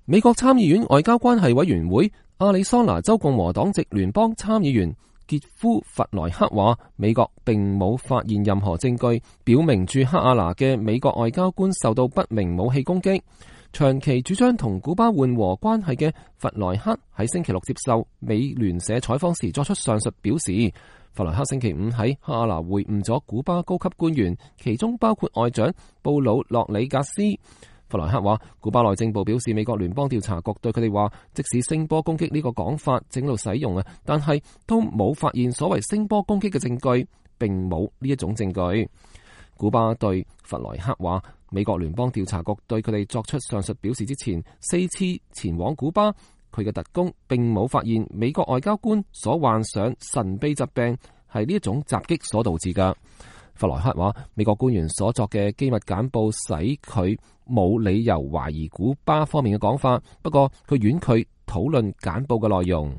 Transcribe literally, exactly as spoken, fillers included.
美國參議院外交關係委員會亞利桑那州共和黨籍聯邦參議員傑夫·弗萊克話，美國並冇發現任何證據表明駐克阿拿嘅美國外交官受到不明武器攻擊。長期主張同古巴緩和關係嘅弗萊克喺星期六接受美聯社採訪時作出上述表示。弗萊克星期五喺克阿拿會晤咗古巴高級官員，其中包括外長布魯諾里格斯。弗萊克話，古巴內政部表示，美國聯邦調查局對佢哋話，即使聲波攻擊呢個講法正喺度使用啊，但係都冇發現所謂聲波攻擊嘅證據，並冇呢一種證據。古巴對弗萊克話，美國聯邦調查局對佢哋作出上述表示之前，四次前往古巴，佢嘅特工並冇發現美國外交官所患上神秘疾病係呢一種襲擊所導致㗎。弗萊克話，美國官員所作嘅機密簡報使佢冇理由懷疑古巴方面嘅講法，不過佢婉拒討論簡報嘅內容。